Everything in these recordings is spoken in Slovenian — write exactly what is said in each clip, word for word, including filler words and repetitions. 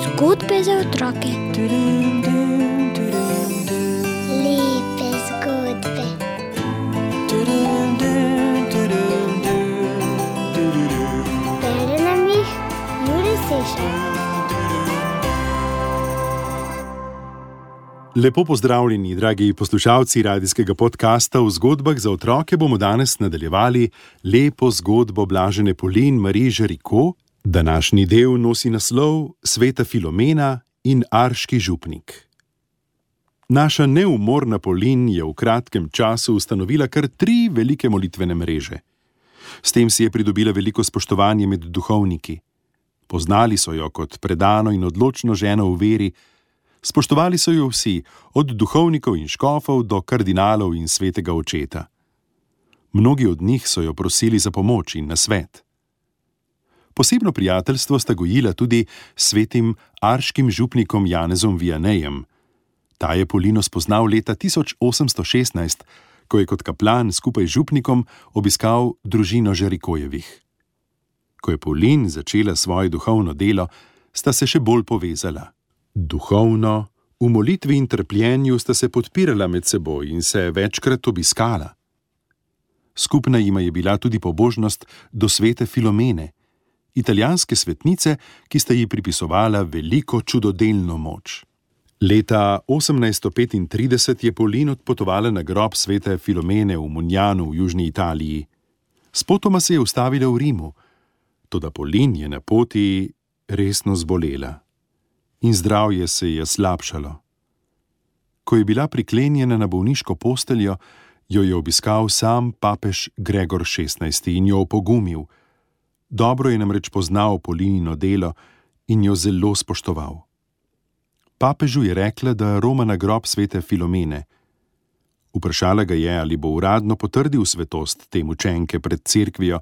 Zgodbe za otroke. Lepe zgodbe. Bere nam jih Jure Sešar. Lepo pozdravljeni, dragi poslušalci radijskega podcasta V zgodbah za otroke. Bomo danes nadaljevali lepo zgodbo Blažene Polin Marie Géricault. Današnji del nosi naslov Sveta Filomena in Arški župnik. Naša neumorna Polin je v kratkem času ustanovila kar tri velike molitvene mreže. S tem si je pridobila veliko spoštovanje med duhovniki. Poznali so jo kot predano in odločno ženo v veri, spoštovali so jo vsi, od duhovnikov in škofov do kardinalov in svetega očeta. Mnogi od njih so jo prosili za pomoč in nasvet. Posebno prijateljstvo sta gojila tudi s svetim arškim župnikom Janezom Vianejem. Ta je Polino spoznal leta tisoč osemsto šestnajst, ko je kot kaplan skupaj z župnikom obiskal družino Géricaultjevih. Ko je Polin začela svoje duhovno delo, sta se še bolj povezala. Duhovno, v molitvi in trpljenju sta se podpirala med seboj in se večkrat obiskala. Skupna jima je bila tudi pobožnost do svete Filomene, italijanske svetnice, ki sta ji pripisovala veliko čudodelno moč. Leta osemnajststo petintrideset je Polin odpotovala na grob svete Filomene v Mugnanu v južni Italiji. Spotoma se je ustavila v Rimu, toda Polin je na poti resno zbolela in zdravje se je slabšalo. Ko je bila priklenjena na bolniško posteljo, jo je obiskal sam papež Gregor šestnajsti in jo opogumil. Dobro je namreč poznal Polinino delo in jo zelo spoštoval. Papežu je rekla, da roma na grob svete Filomene. Vprašala ga je, ali bo uradno potrdil svetost te mučenke pred cerkvijo,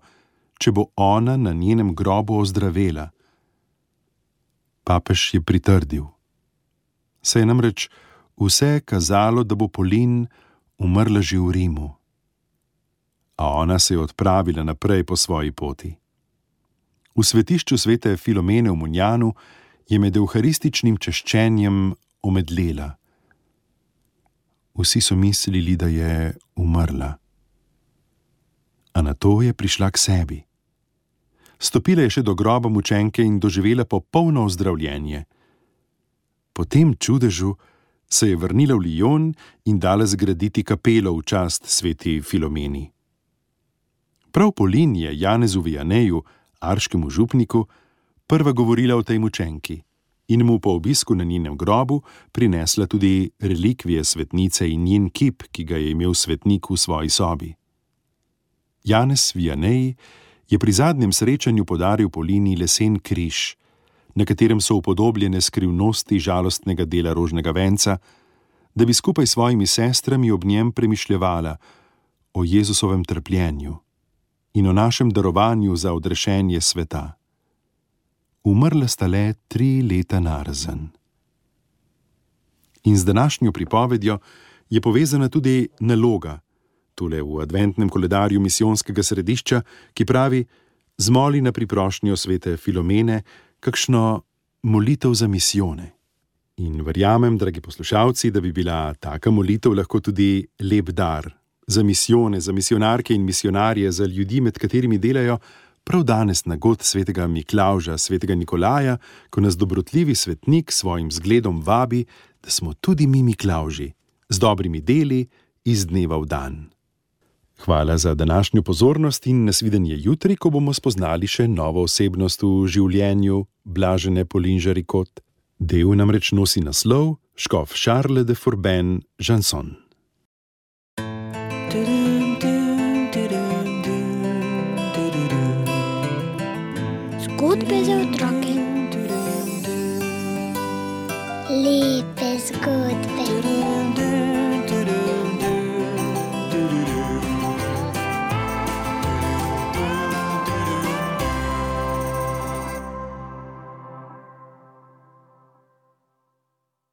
če bo ona na njenem grobu ozdravela. Papež je pritrdil. Se je namreč vse kazalo, da bo Polin umrla že v Rimu. A ona se je odpravila naprej po svoji poti. V svetišču svete Filomene v Mugnanu je med evharističnim češčenjem omedlela. Vsi so mislili, da je umrla. A nato je prišla k sebi. Stopila je še do groba mučenke in doživela popolno ozdravljenje. Po tem čudežu se je vrnila v Lyon in dala zgraditi kapelo v čast sveti Filomeni. Prav Polin je Janezu Vianeju, arškemu župniku, prva govorila o tej mučenki in mu po obisku na njenem grobu prinesla tudi relikvije svetnice in njen kip, ki ga je imel svetnik v svoji sobi. Janez Vianej je pri zadnjem srečanju podaril Polini lesen križ, na katerem so upodobljene skrivnosti žalostnega dela rožnega venca, da bi skupaj s svojimi sestrami ob njem premišljevala o Jezusovem trpljenju in o našem darovanju za odrešenje sveta. Umrla sta le tri leta narazen. In z današnjo pripovedjo je povezana tudi naloga, tule v adventnem koledarju misijonskega središča, ki pravi: zmoli na priprošnjo svete Filomene kakšno molitev za misijone. In verjamem, dragi poslušalci, da bi bila taka molitev lahko tudi lep dar za misijone, za misionarke in misionarje, za ljudi, med katerimi delajo, prav danes na god svetega Miklavža, svetega Nikolaja, ko nas dobrotljivi svetnik svojim zgledom vabi, da smo tudi mi Miklavži, z dobrimi deli iz dneva v dan. Hvala za današnjo pozornost in nasvidenje jutri, ko bomo spoznali še novo osebnost v življenju Blažene Polin Géricault. Del namreč nosi naslov škof Charles de Forbin Janson. Zgodbe za otroke.